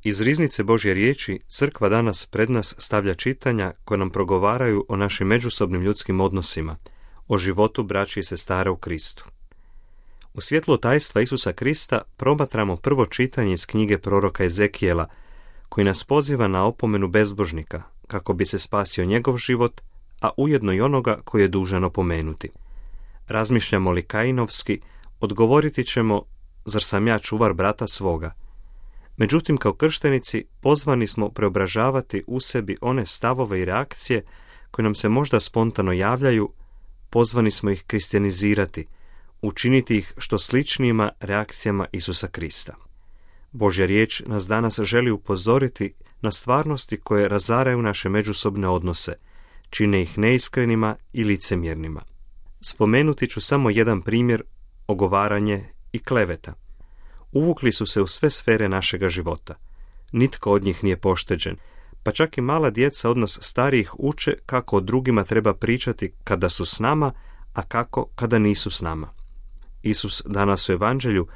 Iz riznice Božje riječi crkva danas pred nas stavlja čitanja koje nam progovaraju o našim međusobnim ljudskim odnosima, o životu braće i sestara u Kristu. U svjetlu tajstva Isusa Krista promatramo prvo čitanje iz knjige proroka Ezekijela, koji nas poziva na opomenu bezbožnika, kako bi se spasio njegov život, a ujedno i onoga koji je dužan opomenuti. Razmišljamo li kainovski, odgovoriti ćemo, zar sam ja čuvar brata svoga? Međutim, kao krštenici pozvani smo preobražavati u sebi one stavove i reakcije koje nam se možda spontano javljaju, pozvani smo ih kristijanizirati, učiniti ih što sličnijima reakcijama Isusa Krista. Božja riječ nas danas želi upozoriti na stvarnosti koje razaraju naše međusobne odnose, čine ih neiskrenima i licemjernima. Spomenuti ću samo jedan primjer, ogovaranje i kleveta. Uvukli su se u sve sfere našega života. Nitko od njih nije pošteđen, pa čak i mala djeca od nas starijih uče kako o drugima treba pričati kada su s nama, a kako kada nisu s nama. Isus danas u Evanđelju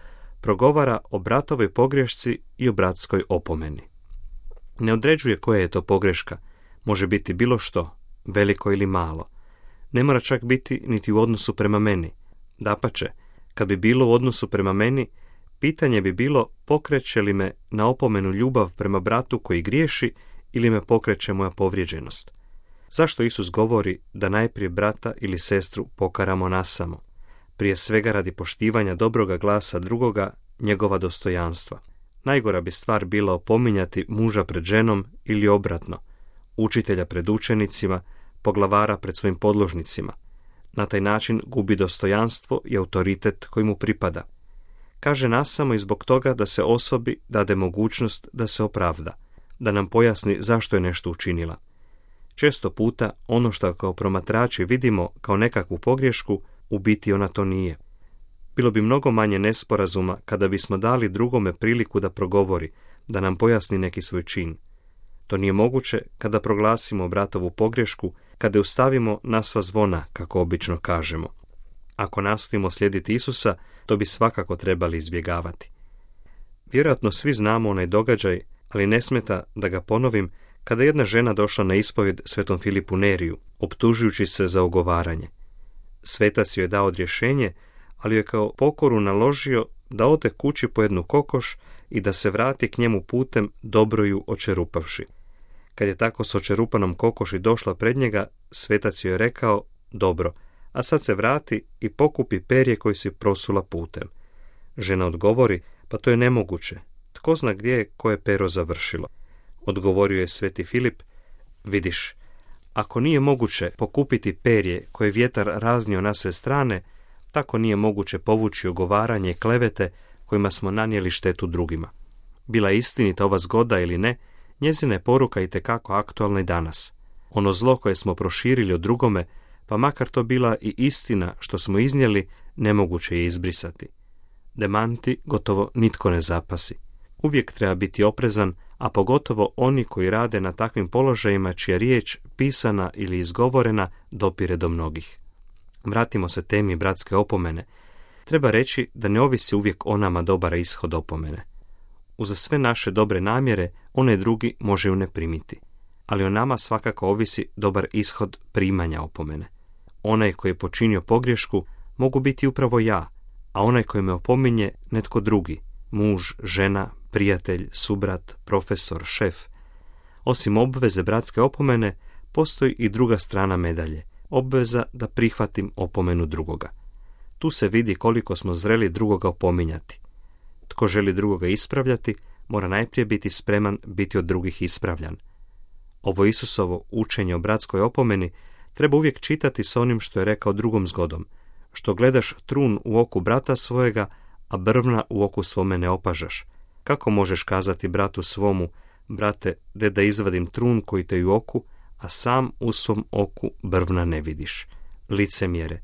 progovara o bratovoj pogrešci i o bratskoj opomeni. Ne određuje koja je to pogreška, može biti bilo što, veliko ili malo. Ne mora čak biti niti u odnosu prema meni. Dapače, kad bi bilo u odnosu prema meni, pitanje bi bilo pokreće li me na opomenu ljubav prema bratu koji griješi ili me pokreće moja povrijeđenost. Zašto Isus govori da najprije brata ili sestru pokaramo nasamo? Prije svega radi poštivanja dobroga glasa drugoga, njegova dostojanstva. Najgora bi stvar bila opominjati muža pred ženom ili obratno, učitelja pred učenicima, poglavara pred svojim podložnicima. Na taj način gubi dostojanstvo i autoritet koji mu pripada. Kaže nasamo i zbog toga da se osobi dade mogućnost da se opravda, da nam pojasni zašto je nešto učinila. Često puta ono što kao promatrači vidimo kao nekakvu pogriješku, u biti ona to nije. Bilo bi mnogo manje nesporazuma kada bismo dali drugome priliku da progovori, da nam pojasni neki svoj čin. To nije moguće kada proglasimo bratovu pogriješku, kada ju stavimo na sva zvona, kako obično kažemo. Ako nastojimo slijediti Isusa, to bi svakako trebali izbjegavati. Vjerojatno svi znamo onaj događaj, ali ne smeta da ga ponovim, kada je jedna žena došla na ispovjed svetom Filipu Neriju, optužujući se za ogovaranje. Svetac joj je dao odrješenje, ali je kao pokoru naložio da ode kući po jednu kokoš i da se vrati k njemu putem dobro ju očerupavši. Kad je tako s očerupanom kokoši došla pred njega, svetac joj je rekao, dobro, a sad se vrati i pokupi perje koje si prosula putem. Žena odgovori, pa to je nemoguće, tko zna gdje je koje pero završilo. Odgovorio je sveti Filip, vidiš, ako nije moguće pokupiti perje koje vjetar raznio na sve strane, tako nije moguće povući ogovaranje i klevete kojima smo nanijeli štetu drugima. Bila istinita ova zgoda ili ne, njezina je poruka itekako aktualna i danas. Ono zlo koje smo proširili o drugome, pa makar to bila i istina što smo iznijeli, nemoguće je izbrisati. Demanti gotovo nitko ne zapasi. Uvijek treba biti oprezan, a pogotovo oni koji rade na takvim položajima čija riječ, pisana ili izgovorena, dopire do mnogih. Vratimo se temi bratske opomene. Treba reći da ne ovisi uvijek o nama dobar ishod opomene. Uza sve naše dobre namjere, onaj drugi može ju ne primiti. Ali o nama svakako ovisi dobar ishod primanja opomene. Onaj koji je počinio pogriješku mogu biti upravo ja, a onaj koji me opominje netko drugi, muž, žena, prijatelj, subrat, profesor, šef. Osim obveze bratske opomene, postoji i druga strana medalje, obveza da prihvatim opomenu drugoga. Tu se vidi koliko smo zreli drugoga opominjati. Tko želi drugoga ispravljati, mora najprije biti spreman biti od drugih ispravljan. Ovo Isusovo učenje o bratskoj opomeni treba uvijek čitati s onim što je rekao drugom zgodom, što gledaš trun u oku brata svojega, a brvna u oku svome ne opažaš. Kako možeš kazati bratu svomu, brate, da izvadim trun koji te u oku, a sam u svom oku brvna ne vidiš? Licemjere,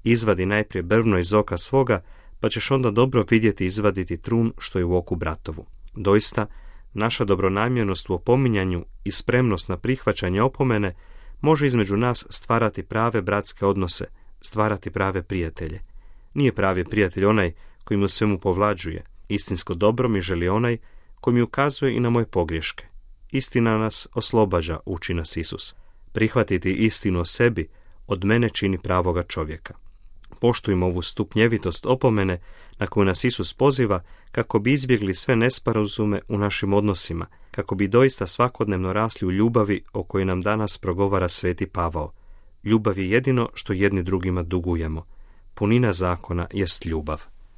izvadi najprije brvno iz oka svoga, pa ćeš onda dobro vidjeti izvaditi trun što je u oku bratovu. Doista, naša dobronamjernost u opominjanju i spremnost na prihvaćanje opomene može između nas stvarati prave bratske odnose, stvarati prave prijatelje. Nije pravi prijatelj onaj koji mu svemu povlađuje. Istinsko dobro mi želi onaj koji mi ukazuje i na moje pogreške. Istina nas oslobađa, uči nas Isus. Prihvatiti istinu o sebi od mene čini pravoga čovjeka. Poštujmo ovu stupnjevitost opomene na koju nas Isus poziva kako bi izbjegli sve nesporazume u našim odnosima, kako bi doista svakodnevno rasli u ljubavi o kojoj nam danas progovara sveti Pavao. Ljubav je jedino što jedni drugima dugujemo. Punina zakona jest ljubav.